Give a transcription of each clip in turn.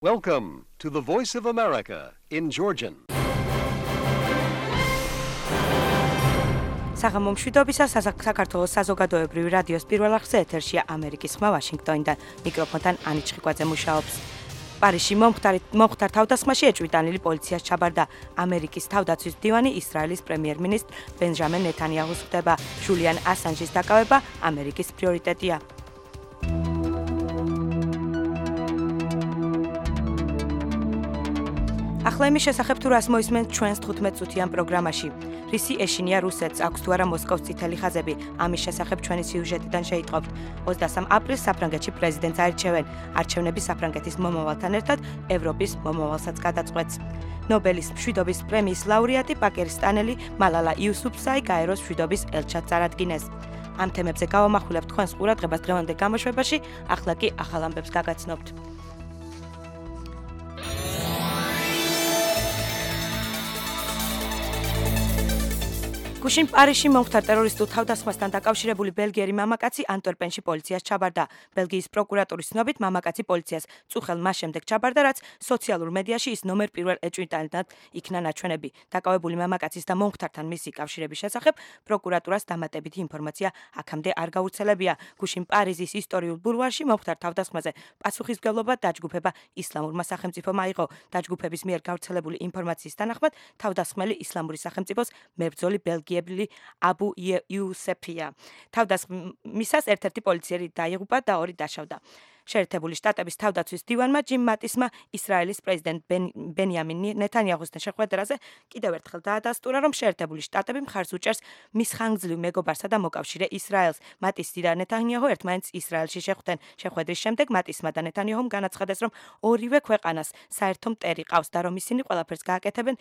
Welcome to the Voice of America in Georgian. საღამო მშვიდობისა საქართველოს საზოგადოებრივი რადიოს პირველ არხზე ეთერშია ამერიკის ხმა ვაშინგტონიდან. მიკროფონთან ანი ჩხიკვაძე მუშაობს. პარიზში მომხდარ თავდასხმაში ეჭვიტანილი პოლიციას ჩაბარდა. ამერიკის თავდაცვის მდივანი ისრაელის პრემიერ-მინისტრ ბენჟამინ ნეთანიაჰუს ხდება. ჟულიან ასანჟის დაკავება ამერიკის პრიორიტეტია. ახლა იმის შესახებ თუ რას მოისმენთ ჩვენს 15 წუთიან პროგრამაში. რისი ეშინია რუსეთს, აქვს თუ არა მოსკოვის წითელი ხაზები. ამის შესახებ ჩვენი სიუჟეტიდან შეიტყობთ. 23 აპრილს საფრანგეთში პრეზიდენტს აირჩევენ. არჩევნები საფრანგეთის მომავალთან ერთად ევროპის მომავალსაც გადაწყვეტს. ნობელის მშვიდობის პრემიის ლაურეატი პაკისტანელი მალალა იუსუფზაი გაეროს მშვიდობის ელჩად წარადგინეს. ამ თემებზე გავამახვილებთ თქვენს ყურადღებას დღევანდელ გამოშვებაში, ახლა კი ახალ ამბებს გაგაცნობთ. გუშინ პარიზში მომხდარ ტერორისტულ თავდასხმასთან დაკავშირებული ბელგიელი მამაკაცი ანტვერპენში პოლიციას ჩაბარდა. ბელგიის პროკურატურის ცნობით მამაკაცი პოლიციას წუხელ მას შემდეგ ჩაბარდა, რაც სოციალურ მედიაში ის ნომერ პირველ ეჭვიტანილად იქნა ნაჩვენები. დაკავებული მამაკაცის და მომხდართან მისი კავშირების შესახებ პროკურატურას დამატებითი ინფორმაცია აქამდე არ გავრცელებია. გუშინ პარიზის ისტორიულ ბულვარში მომხდარ თავდასხმაზე პასუხისმგებლობა დაჯგუფება ისლამურმა სახელმწიფომ აიღო. დაჯგუფების მიერ გავრცელებული ინფორმაციის თანახმად თავდასხმელი ისლამური სახელმწიფოს მებრძოლი ბელგიელი აბუ იუსეფია. თავდასხმისას ერთ-ერთი პოლიციელი დაიღუპა და ორი დაშავდა. შეერთებული შტატების თავდაცვის მდივანმა ჯიმ მატისმა ისრაელის პრეზიდენტ ბენიამინ ნეთანიაჰუსთან შეხვედრაზე კიდევ ერთხელ დაადასტურა, რომ შეერთებული შტატები მხარს უჭერს მის ხანგრძლივ მეგობარსა და მოკავშირე ისრაელს. მატისი და ნეთანიაჰუ ერთმანეთს ისრაელში შეხვდნენ. შეხვედრის შემდეგ მატისმა და ნეთანიაჰუმ განაცხადეს, რომ ორივე ქვეყანას საერთო მტერი ყავს და რომ ისინი ყველაფერს გააკეთებენ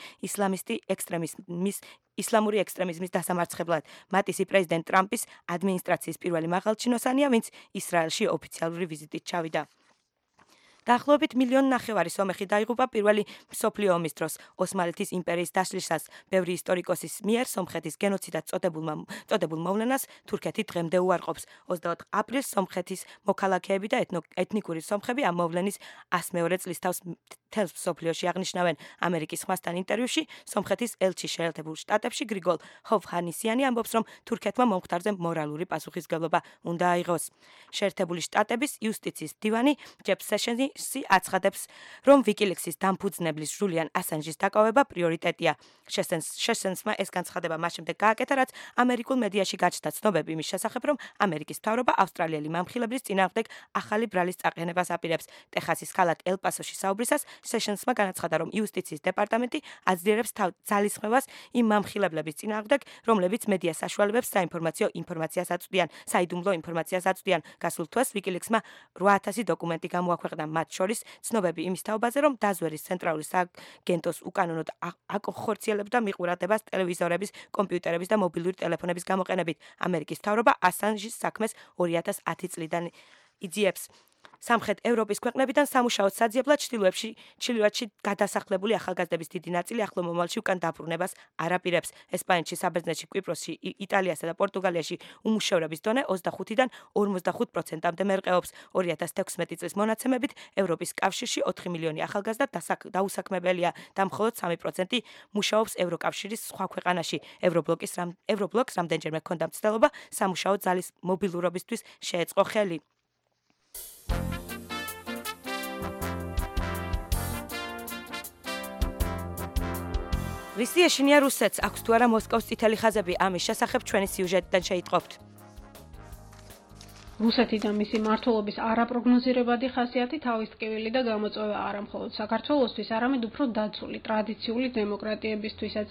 ისლამური ექსტრემიზმის დასამარცხებლად. მატისი პრეზიდენტ ტრამპის ადმინისტრაციის პირველი მაღალჩინოსანია, ვინც ისრაელში ოფიციალური ვიზიტით ჩავიდა. დაახლოებით 1,5 მილიონი სომეხი დაიღუპა პირველი მსოფლიო ომის დროს. ოსმალეთის იმპერიის დაშლისას ბევრი ისტორიკოსის მიერ სომხეთის გენოციდად წოდებულ მოვლენას თურქეთი დღემდე უარყოფს. 24 აპრილს სომხეთის მოქალაქეები და ეთნიკური სომხები ამ მოვლენის 100-მეორე წლისთავს მთელს მსოფლიოში აღნიშნავენ. ამერიკის ხმასთან ინტერვიუში სომხეთის ელჩი შეერთებულ შტატებში გრიგოლ ჰოვჰანისიანი ამბობს, რომ თურქეთმა მომხდარზე მორალური პასუხისმგებლობა უნდა აიღოს. შეერთებული შტატების იუსტიციის მდივანი ჯეფ სეშენსი აცხადებს, რომ ვიკილიქსის დამფუძნებლის ჟულიან ასანჟის დაკავება პრიორიტეტია. შეშენსმა ეს განცხადება მას შემდეგ გააკეთა, რაც ამერიკულ მედიაში გაჩნდა ცნობები იმის შესახებ, რომ ამერიკის მთავრობა ავსტრალიელი მამხილებლის წინააღმდეგ ახალი ბრალის წაყენებას აპირებს. ტეხასის ქალაქ ელ-პასოში საუბრისას სეშენსმა განაცხადა, რომ იუსტიციის დეპარტამენტი აძლიერებს ძალისხმევას იმ მამხილებლების წინააღმდეგ, რომლებიც მედია საშუალებებს საიდუმლო ინფორმაციას აწვდიან. გასულ თვეს ვიკილიქსმა 8,000 დოკუმენტი გამოაქვეყნა, მათ შორის ცნობები იმის თაობაზე, რომ დაზვერის ცენტრალური სააგენტოს უკანონოდ აკონხორციელებდა მიყურადებას ტელევიზორების, კომპიუტერების და მობილური ტელეფონების გამოყენებით. ამერიკის მთავრობა ასანჟის საქმეს 2010 წლიდან იძიებს. სამხრეთ ევროპის ქვეყნებიდან სამუშაოდ საძიებლად ჩრდილოეთში გადასახლებული ახალგაზრდების დიდი ნაწილი ახლო მომავალში უკან დაბრუნებას არ აპირებს. ესპანეთში, საბერძნეთში, კვიპროსში, იტალიასა და პორტუგალიაში უმუშევრობის დონე 25-დან 45%-მდე მერყეობს. 2016 წლის მონაცემებით ევროპის კავშირში 4 მილიონი ახალგაზრდა დაუსაქმებელია და მხოლოდ 3% მუშაობს ევროკავშირის სხვა ქვეყანაში. ევრობლოკს რამდენჯერმე ჰქონდა მცდელობა სამუშაო ძალის მობილურობისთვის შეეწყო ხელი. რისი ეშინია რუსეთს, აქვს თუ არა მოსკოვის წითელი ხაზები. ამის შესახებ ჩვენი სიუჟეტიდან შეიტყობთ. რუსეთი და მისი მმართველობის არაპროგნოზირებადი ხასიათი თავის ტკივილი და გამოწვევა არა მხოლოდ საქართველოსთვის, არამედ უფრო დაცული ტრადიციული დემოკრატიებისთვისაც.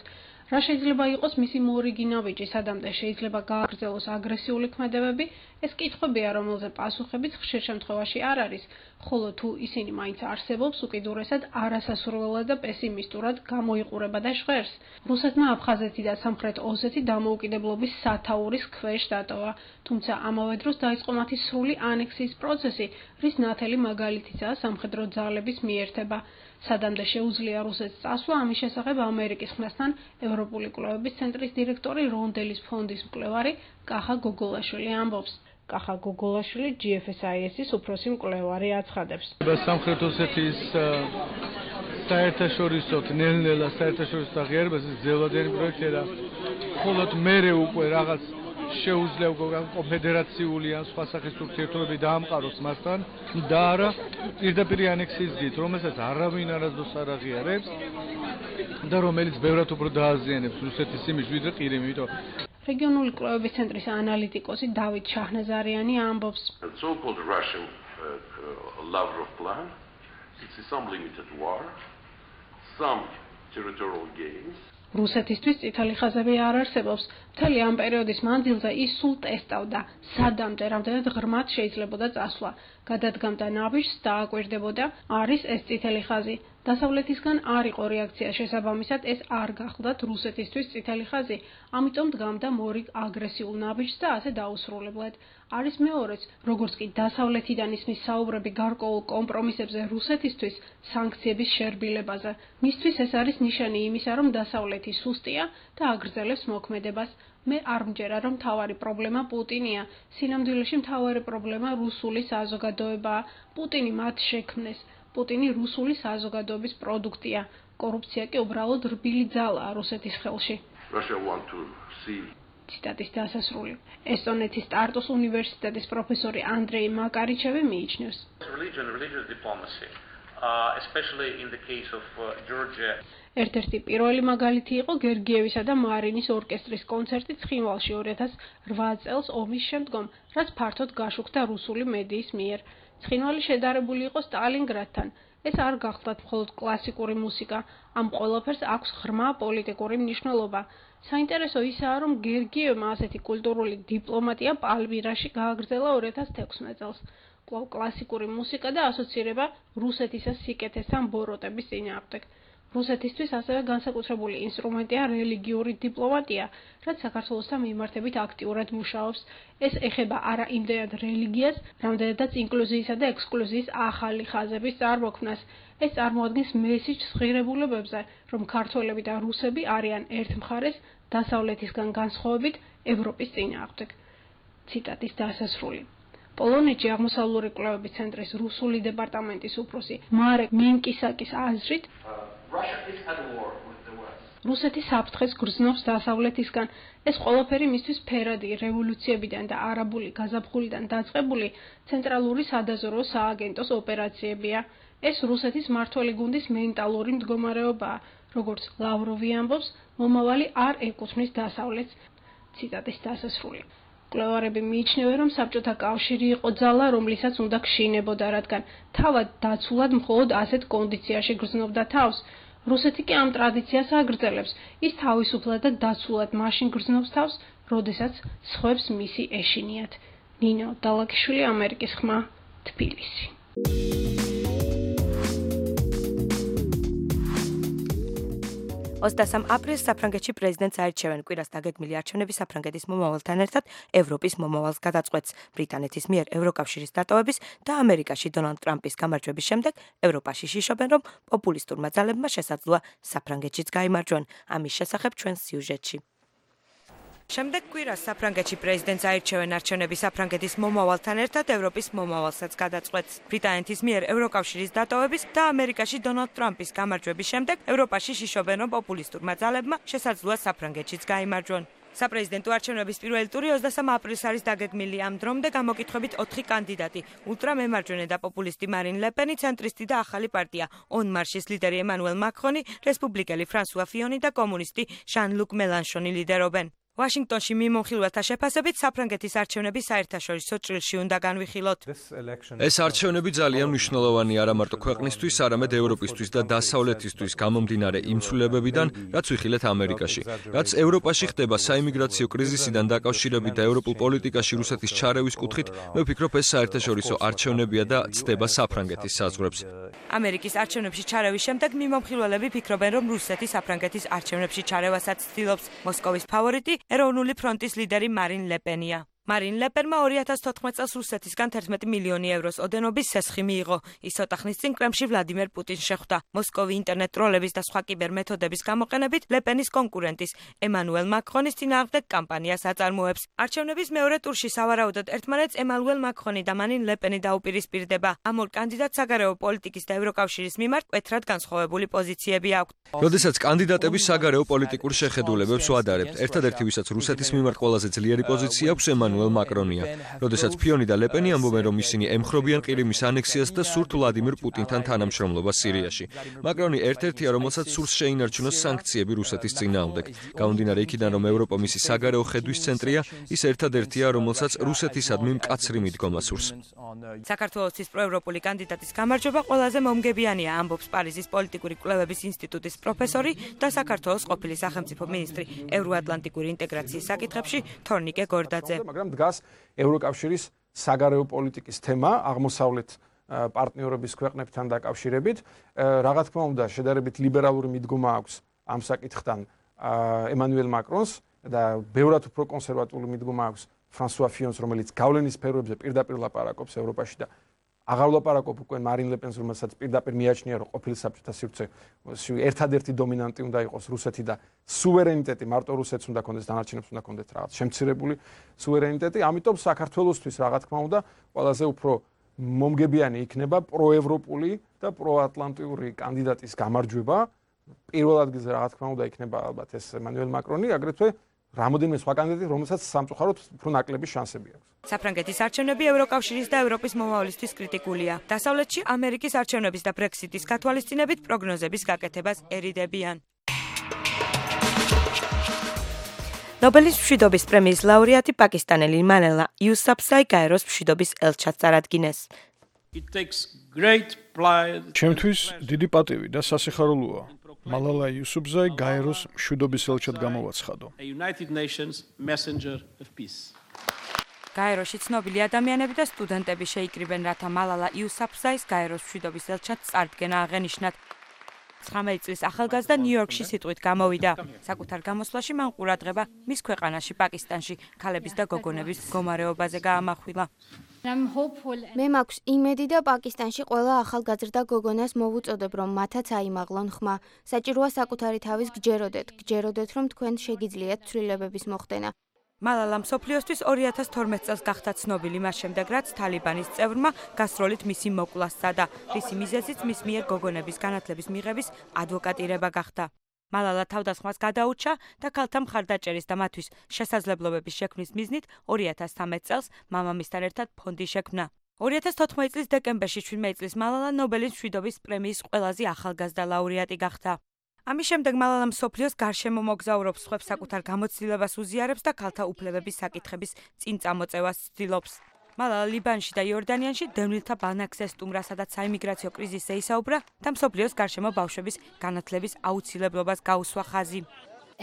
რა შეიძლება იყოს მისი მორიგი ნაბიჯი, სადამდე შეიძლება გააგრძელოს აგრესიული ქმედებები, ეს კითხვებია, რომელზე პასუხებიც ხშირ შემთხვევაში არ არის, ხოლო თუ ისინი მაინც არსებობს, უკიდურესად არასასურველად და პესიმისტურად გამოიყურება და ჟღერს. რუსეთმა აფხაზეთი და სამხრეთ ოსეთი დამოუკიდებლობის სათაურის ქვეშ დატოვა, თუმცა ამავე დროს დაიწყო მათი სრული ანექსიის პროცესი, რის ნათელი მაგალითიცაა სამხედრო ძალების მიერთება. სადამდე შეუძლია რუსეთს წასვლა, ამის შესახებ ამერიკის ხმასთან ევროპული კვლევების ცენტრის დირექტორი რონდელის ფონდის მკვლევარი კახა გოგოლაშვილი ამბობს. კახა გოგოლაშვილი GFSIS-ის უფროსი მკვლევარი აცხადებს. სამხრეთ ოსეთის საერთაშორისო ნელ-ნელა საერთაშორისო აღიარებას ძელვადიანი პროექტია და მხოლოდ მერე უკვე რაღაც შეუძლია კონფედერაციული ან სხვა სახის ურთიერთობები დაამყაროს მასთან და არა პირდაპირ ანექსიის გზით, რომელსაც არავინ არასდროს არ აღიარებს და რომელიც ბევრად უფრო დააზიანებს რუსეთის იმიჯს ვიდრე ყირიმი, იმიტომ რეგიონული კვლევების ცენტრის ანალიტიკოსი დავით შაჰნაზარიანი ამბობს. So-called Russian Lavrov plan, it's some limited war, some territorial gains. რუსეთისთვის წითელი ხაზები არ არსებობს. მთელი ამ პერიოდის მანძილზე ის სულ ტესტავდა, სადამდე რამდენად ღრმად შეიძლებოდა წასვლა. გადადგამდა ნაბიჯს და აკვირდებოდა, არის ეს წითელი ხაზი. დასავლეთისგან არ იყო რეაქცია შესაბამისად, ეს არ გახლდათ რუსეთისთვის წითელი ხაზი, ამიტომ დგამდა მორიგ აგრესიულ ნაბიჯს და ასე დაუსრულებლად. არის მეორეც, როგორც კი დასავლეთიდან ისმის საუბრები გარკვეულ კომპრომისებზე რუსეთისთვის სანქციების შერბილებაზე. მისთვის ეს არის ნიშანი იმისა, რომ დასავლეთი სუსტია და აგრძელებს მოქმედებას. მე არ მჯერა, რომ მთავარი პრობლემა პუტინია. სინამდვილეში მთავარი პრობლემა რუსული საზოგადოებაა. პუტინი მათ შექმნეს. პუტინი რუსული საზოგადოების პროდუქტია. კორუფცია კი უბრალოდ რბილი ძალაა რუსეთის ხელში. Russia want to see ციტატის დასასრული. ესტონეთის ტარტუს უნივერსიტეტის პროფესორი ანდრეი მაკარიჩევი მიიჩნევს. Religious diplomacy, especially in the case of Georgia. ერთ-ერთი პირველი მაგალითი იყო გერგიევისა და მარინის ორკესტრის კონცერტი ცხინვალში 2008 წელს ომის შემდგომ, რაც ფართოდ გაშუქდა რუსული მედიის მიერ. ცხინვალი შედარებული იყო სტალინგრადთან. ეს არ გახლდათ მხოლოდ კლასიკური მუსიკა, ამ ყველაფერს აქვს ღრმა პოლიტიკური მნიშვნელობა. საინტერესო ისაა, რომ გერგიევმა ასეთი კულტურული დიპლომატია პალმირაში გააგრძელა 2016 წელს. კვლავ კლასიკური მუსიკა და ასოცირება რუსეთისა სიკეთესთან ბოროტების წინააღმდეგ. რუსეთისთვის ასევე განსაკუთრებული ინსტრუმენტია რელიგიური დიპლომატია, რაც საქართველოსთან მიმართებით აქტიურად მუშაობს. ეს ეხება არა იმდენად რელიგიას, რამდენადაც ინკლუზიისა და ექსკლუზიის ახალი ხაზების წარმოქმნას. ეს წარმოადგენს მესიჯს ღირებულებებზე, რომ ქართველები და რუსები არიან ერთ მხარეს დასავლეთისგან განსხვავებით ევროპის წინააღმდეგ. ციტატის დასასრული. პოლონეთში აღმოსავლური კვლევების ცენტრის რუსული დეპარტამენტის უფროსი მარეკ მენკისაკის აზრით, რუსეთი საფრთხეს გრძნობს დასავლეთისგან. ეს ყველაფერი მისთვის ფერადი რევოლუციებიდან და არაბული გაზაფხულიდან დაწყებული ცენტრალური სადაზვერვო სააგენტოს ოპერაციებია. ეს რუსეთის მმართველი გუნდის მენტალური მდგომარეობაა. როგორც ლავროვი ამბობს, მომავალი არ ეკუთვნის დასავლეთს. ციტატის დასასრული. მკვლევარები მიიჩნევენ, რომ საბჭოთა კავშირი იყო ძალა, რომლისაც უნდა გშინებოდა, რადგან თავად დაცულად მხოლოდ ასეთ კონდიციაში გრძნობდა თავს. რუსეთი კი ამ ტრადიციას აგრძელებს. ის თავისუფლად და დაცულად მაშინ გრძნობს თავს, როდესაც სხვებს მისი ეშინიათ. ნინო დალაკიშვილი, ამერიკის ხმა, თბილისი. 23 აპრილს საფრანგეთში პრეზიდენტს აირჩევენ. კვირას დაგეგმილი არჩევნები საფრანგეთის მომავალთან ერთად ევროპის მომავალს გადაწყვეტს. ბრიტანეთის მიერ ევროკავშირის დატოვების და ამერიკაში დონალდ ტრამპის გამარჯვების შემდეგ ევროპაში შიშობენ, რომ პოპულისტურმა ძალებმა შესაძლოა საფრანგეთშიც გაიმარჯვონ. ამის შესახებ ჩვენს სიუჟეტში. შემდეგ კვირას საფრანგეთში პრეზიდენტს აირჩევენ. არჩევნები საფრანგეთის მომავალთან ერთად ევროპის მომავალსაც გადაწყვეტს. ბრიტანეთის მიერ ევროკავშირის დატოვების და ამერიკაში დონალდ ტრამპის გამარჯვების შემდეგ ევროპაში შიშობენ, რომ პოპულისტურმა ძალებმა შესაძლოა საფრანგეთშიც გაიმარჯვონ. საპრეზიდენტო არჩევნების პირველი ტური 23 აპრილს არის დაგეგმილი. ამ დრომდე გამოკითხებით 4 კანდიდატი: ულტრამემარჯვენე და პოპულისტი მარინ ლეპენი, ცენტრისტი და ახალი პარტია ონ მარშის ლიდერი ემანუელ მაკრონი, რესპუბლიკელი ფრანსუა ფიონი და კომუნისტი ჟან-ლუკ მელანშონი ლიდერობენ. ვაშინგტონში მიმოხილველთა შეფასებით საფრანგეთის არჩევნები საერთაშორისო ჭრილში უნდა განვიხილოთ. ეს არჩევნები ძალიან მნიშვნელოვანი არა მარტო ქვეყნისთვის, არამედ ევროპისთვის და დასავლეთისთვის გამომდინარე იმ ცვლილებებიდან, რაც ვიხილეთ ამერიკაში. რაც ევროპაში ხდება საიმიგრაციო კრიზისიდან დაკავშირებით და ევროპულ პოლიტიკაში რუსეთის ჩარევის კუთხით, მე ვფიქრობ, ეს საერთაშორისო არჩევნებია და ცდება საფრანგეთის საზღვრებს. ამერიკის არჩევნებში ჩარევის შემდეგ მიმოხილველები ფიქრობენ, რომ რუსეთი საფრანგეთის არჩევნებში ჩარევასაც ცდილობს. მოსკოვის ფავორიტი ეროვნული ფრონტის ლიდერი მარინ ლეპენია. მარინ ლეპენმა 2014 წელს რუსეთისგან 11 მილიონი ევროს ოდენობის სესხი მიიღო. ის ცოტა ხნის წინ კრემლში ვლადიმერ პუტინს შეხვდა. მოსკოვი ინტერნეტ ტროლების და სხვა კიბერმეთოდების გამოყენებით ლეპენის კონკურენტის ემანუელ მაკრონის წინააღმდეგ კამპანიას აწარმოებს. არჩევნების მეორე ტურში სავარაუდოდ ერთმანეთს ემანუელ მაკრონი და მარინ ლეპენი დაუპირისპირდება. ამ ორ კანდიდატს საგარეო პოლიტიკის და ევროკავშირის მიმართ მკვეთრად განსხვავებული პოზიციები აქვთ. როდესაც კანდიდატები საგარეო პოლიტიკურ შეხედულებებს ვადარებთ, ერთადერთი ვისაც რუსეთის მიმართ ყველაზე ძლიერი პოზიცია აქვს ემანუელ მაკრონია. როდესაც ფიონი და ლეპენი ამბობენ, რომ ისინი ემხრობიან ყირიმის ანექსიას და სურთ ვლადიმერ პუტინთან თანამშრომლობას სირიაში. მაკრონი ერთ-ერთია, რომელსაც სურს შეინარჩუნოს სანქციები რუსეთის წინააღმდეგ. გამომდინარე იქიდან, რომ ევროპა მისი საგარეო ხედვის ცენტრია, ის ერთადერთია, რომელსაც რუსეთისადმი მკაცრი მიდგომა სურს. საქართველოს პროევროპული კანდიდატის გამარჯვება ყველაზე მომგებიანია, ამბობს პარიზის პოლიტიკური კვლევების ინსტიტუტის პროფესორი და საქართველოს ყოფილი სახელმწიფო მინისტრი ევროატლანტიკური ინტეგრაციის საკითხებში თორნიკე გორდაძე. მაგრამ დგას ევროკავშირის საგარეო პოლიტიკის თემა აღმოსავლეთ პარტნიორობის ქვეყნებთან დაკავშირებით. რა თქმა უნდა, შედარებით ლიბერალური მიდგომა აქვს ამ საკითხთან ემანუელ მაკრონს და ბევრად უფრო კონსერვატული მიდგომა აქვს ფრანსუა ფიონს, რომელიც გავლენის სფეროებზე პირდაპირ ლაპარაკობს ევროპაში და აღარ ლაპარაკობ უკვე მარინ ლეპენს, რომელსაც პირდაპირ მიაჩნია, რომ ყოფილი საბჭოთა სივრცეში ერთადერთი დომინანტი უნდა იყოს რუსეთი და სუვერენიტეტი მარტო რუსეთს უნდა კონდეს, დანარჩენებს უნდა კონდეთ რაღაც შემცირებული სუვერენიტეტი. ამიტომ საქართველოსთვის რა თქმა უნდა, ყველაზე უფრო მომგებიანი იქნება პროევროპული და პროატლანტიური კანდიდატის გამარჯვება. პირველ ადგილზე რა თქმა უნდა იქნება ალბათ ეს ემანუელ მაკრონი, აგრეთვე რამოდენიმე სხვა კანდიდატი, რომელსაც სამწუხაროდ უფრო ნაკლები შანსები აქვს. საფრანგეთის არჩევნები ევროკავშირის და ევროპის მომავლისთვის კრიტიკულია. დასავლეთში ამერიკის არჩევნების და ბრექსიტის გათვალისწინებით პროგნოზების გაკეთებას ერიდებიან. ნობელის მშვიდობის პრემიის ლაურეატი პაკისტანელი მალალა იუსაფზაი გაეროს მშვიდობის ელჩად წარადგინეს. ჩემთვის დიდი პატივი და სასიხარულოა მალალა იუსუფზაი გაეროს მშვიდობის ელჩად გამოვაცხადო. გაეროში ცნობილი ადამიანები და სტუდენტები შეიკრიბენ, რათა მალალა იუსაფზაის გაეროს მშვიდობის ელჩად წარდგენა აღენიშნათ. 19 წლის ახალგაზრდა ნიუ-იორკში სიტყვით გამოვიდა. საკუთარ გამოსვლაში მან ყურადღება მის ქვეყანაში, პაკისტანში, ქალების და გოგონების მდგომარეობაზე გაამახვილა. მე მაქვს იმედი და პაკისტანში ყველა ახალგაზრდა გოგონას მოვუწოდებ, რომ მათაც აიმაღლონ ხმა. საჭიროა საკუთარი თავის გჯეროდეთ, რომ თქვენ შეგიძლიათ ცვლილებების მოხდენა. მალალა მსოფლიოსთვის 2012 წელს გახდა ცნობილი მას შემდეგ, რაც თალიბანის წევრმა გასროლით მისი მოკლა სცადა, რისი მიზეზიც მის მიერ გოგონების განათლების მიღების ადვოკატირება გახდა. მალალა თავდასხმას გადაურჩა და ქალთა მხარდაჭერის და მათთვის შესაძლებლობების შექმნის მიზნით 2013 წელს მამამისთან ერთად ფონდი შექმნა. 2014 წლის დეკემბერში 17 წლის მალალა ნობელის მშვიდობის პრემიის ყველაზე ახალგაზრდა ლაურეატი გახდა. ამის შემდეგ მალალა მსოფლიოს გარშემო მოგზაურობს, სხვებს საკუთარ გამოცდილებას უზიარებს და ქალთა უფლებების საკითხების წინ წამოწევას ცდილობს. მალალა ლიბანში და იორდანიანში დევნილთა ბანაკზე სტუმრა, სადაც საიმიგრაციო კრიზისზე ისაუბრა და მსოფლიოს გარშემო ბავშვების განათლების აუცილებლობას გაუსვა ხაზი.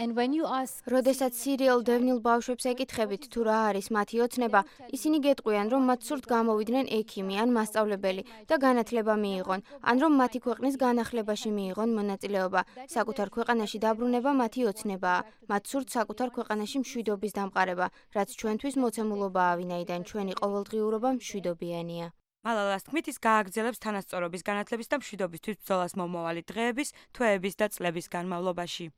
როდესაც სირიელ დევნილ ბავშვებს ეკითხებით, თუ რა არის მათი ოცნება, ისინი გეტყვიან, რომ მათ სურთ გამოვიდნენ ექიმი ან მასწავლებელი და განათლება მიიღონ, ან რომ მათი ქვეყნის განახლებაში მიიღონ მონაწილეობა. საკუთარ ქვეყანაში დაბრუნება მათი ოცნებაა. მათ სურთ საკუთარ ქვეყანაში მშვიდობის დამყარება, რაც ჩვენთვის მოცემულობაა, ვინაიდან ჩვენი ყოველდღიურობა მშვიდობიანია. მალალას თქმით, ის გააგრძელებს თანასწორობის, განათლების და მშვიდობისთვის ბრძოლას მომავალი დღეების, თვეების და წლების განმავლობაში.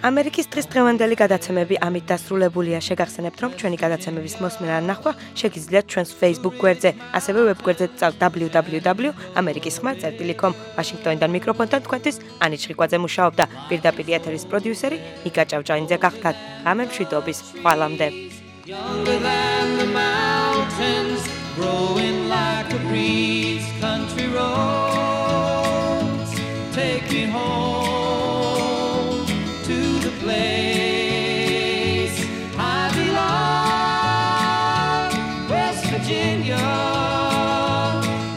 ამერიკის დღესდღევანდელი გადაცემები ამით დასრულებულია. შეგახსენებთ, რომ ჩვენი გადაცემების მოსმენა ან ნახვა შეგიძლიათ ჩვენს Facebook გვერდზე, ასევე ვებგვერდზე www.amerikisxma.com. ვაშინგტონიდან მიკროფონთან თქვენთვის ანი ჩხიკვაძე მუშაობდა. პირდაპირ ეთერის პროდიუსერი ნიკა ჭავჭავინძე გახდათ. ღამე მშვიდობის, ხვალამდე. Growing like a breeze, country roads take me home to the place I belong, West Virginia,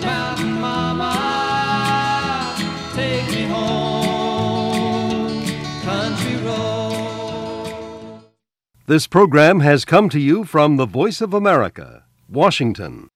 Mountain Mama, take me home, country road. This program has come to you from the Voice of America, Washington.